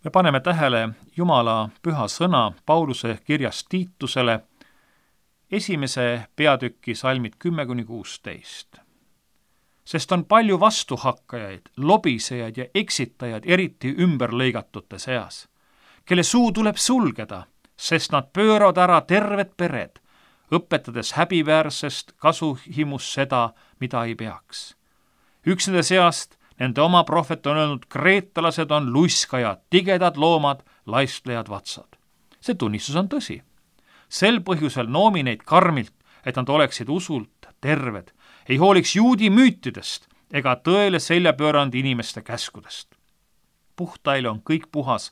Me paneme tähele Jumala püha sõna Pauluse kirjas Tiitusele, 1. peatüki salmid 10-16. Sest on palju vastuhakkajaid, lobisejaid ja eksitajaid, eriti ümberlõigatute seas, kelle suu tuleb sulgeda, sest nad pööravad ära terved pered, õpetades häbiväärsest kasuhimus seda, mida ei peaks. Üks nende seast, nende oma prohvet on öelnud, kreetalased on luiskajad, tigedad loomad, laistlejad vatsad. See tunnistus on tõsi. Sel põhjusel noomi neid karmilt, et nad oleksid usult terved, ei hooliks juudi müütidest ega tõele selja pööranud inimeste käskudest. Puhtaile on kõik puhas,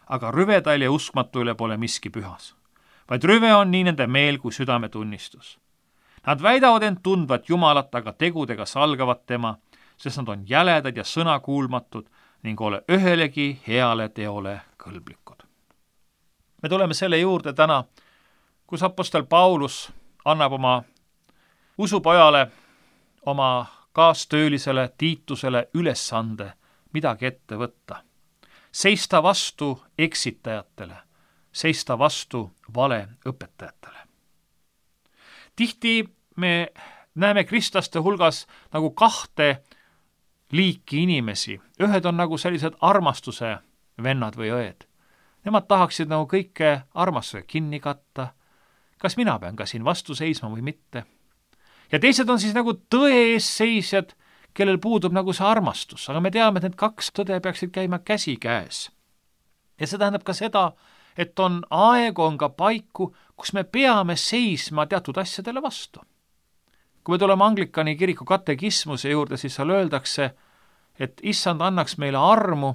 aga rüvedail ja uskmatuile pole miski pühas, vaid rüve on nii nende meel kui südametunnistus. Nad väidavad end tundvat Jumalat, aga tegudega salgavad tema, sest nad on jäledad ja sõnakuulmatud ning ole ühelegi heale teole kõlblikud. Me tuleme selle juurde täna, kus apostel Paulus annab oma usupojale, oma kaastöölisele Tiitusele ülesande midagi ette võtta. Seista vastu eksitajatele, seista vastu valeõpetajatele. Tihti me näeme kristlaste hulgas nagu kahte liiki inimesi. Ühed on nagu sellised armastuse vennad või õed. Nemad tahaksid nagu kõike armastusega kinni katta. Kas mina pean ka siin vastu seisma või mitte? Ja teised on siis nagu tõe ees seisjad, kellel puudub nagu see armastus, aga me teame, et need kaks tõde peaksid käima käsi käes. Ja see tähendab ka seda, et on aegu, on ka paiku, kus me peame seisma teatud asjadele vastu. Kui me tuleme Anglikani kiriku katekismuse juurde, siis seal öeldakse, et issand annaks meile armu,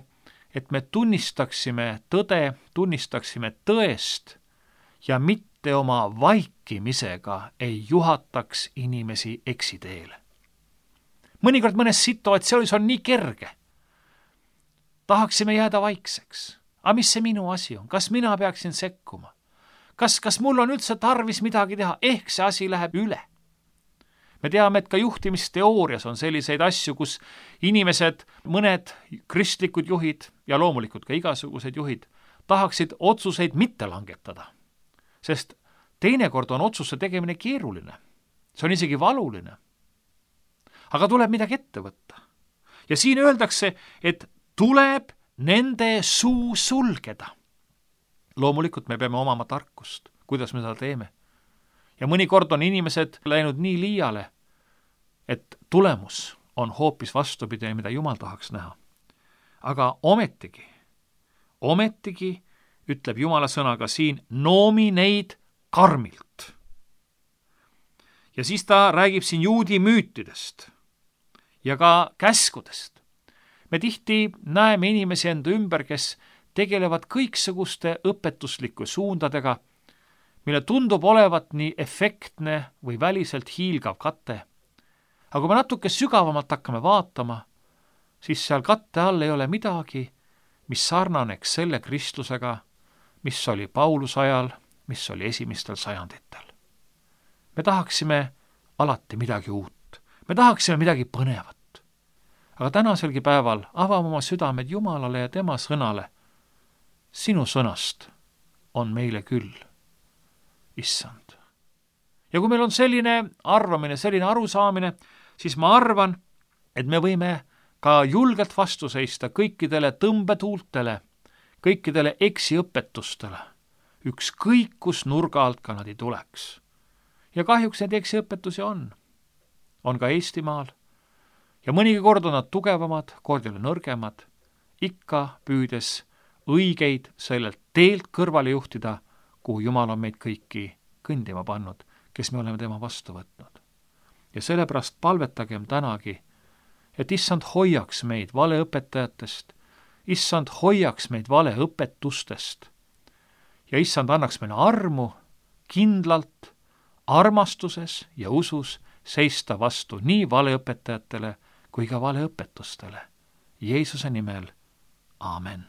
et me tunnistaksime tõde, tunnistaksime tõest ja mitte oma vaikimisega ei juhataks inimesi eksiteele. Mõnikord mõnes situatsioonis on nii kerge. Tahaksime jääda vaikseks. Aga mis see minu asi on? Kas mina peaksin sekkuma? Kas mul on üldse tarvis midagi teha? Ehk see asi läheb üle. Me teame, et ka juhtimisteoorias on selliseid asju, kus inimesed, mõned kristlikud juhid ja loomulikult ka igasugused juhid tahaksid otsuseid mitte langetada. Sest teinekord on otsuse tegemine keeruline. See on isegi valuline. Aga tuleb midagi ette võtta. Ja siin öeldakse, et tuleb nende suu sulgeda. Loomulikult me peame omama tarkust, kuidas me seda teeme. Ja mõnikord on inimesed läinud nii liiale, et tulemus on hoopis vastupidi, mida Jumal tahaks näha. Aga ometigi ütleb Jumala sõnaga siin, noomi neid karmilt. Ja siis ta räägib siin juudi müütidest ja ka käskudest. Me tihti näeme inimesi enda ümber, kes tegelevad kõiksuguste õpetuslike suundadega, mille tundub olevat nii efektne või väliselt hiilgav kate. Aga kui me natuke sügavamalt hakkame vaatama, siis seal katte all ei ole midagi, mis sarnaneks selle Kristlusega, mis oli Pauluse ajal, mis oli esimestel sajanditel. Me tahaksime alati midagi uut. Me tahaksime midagi põnevat. Aga tänaselgi päeval avame oma südamed Jumalale ja tema sõnale. Sinu sõnast on meile küll, issand. Ja kui meil on selline arvamine, selline arusaamine, siis ma arvan, et me võime ka julgelt vastu seista kõikidele tõmbetuultele, kõikidele eksiõpetustele, ükskõik kus nurga alt ka nad ei tuleks. Ja kahjuks need eksiõpetusi on ka Eestimaal. Ja mõnigi kord on nad tugevamad, kord jälle nõrgemad, ikka püüdes õigeid sellelt teelt kõrvale juhtida, kuhu Jumal on meid kõiki kõndima pannud, kes me oleme tema vastu võtnud. Ja sellepärast palvetagem tänagi, et issand hoiaks meid valeõpetajatest, issand hoiaks meid valeõpetustest ja issand annaks meile armu kindlalt, armastuses ja usus seista vastu nii valeõpetajatele kui ka valeõpetustele. Jeesuse nimel, aamen.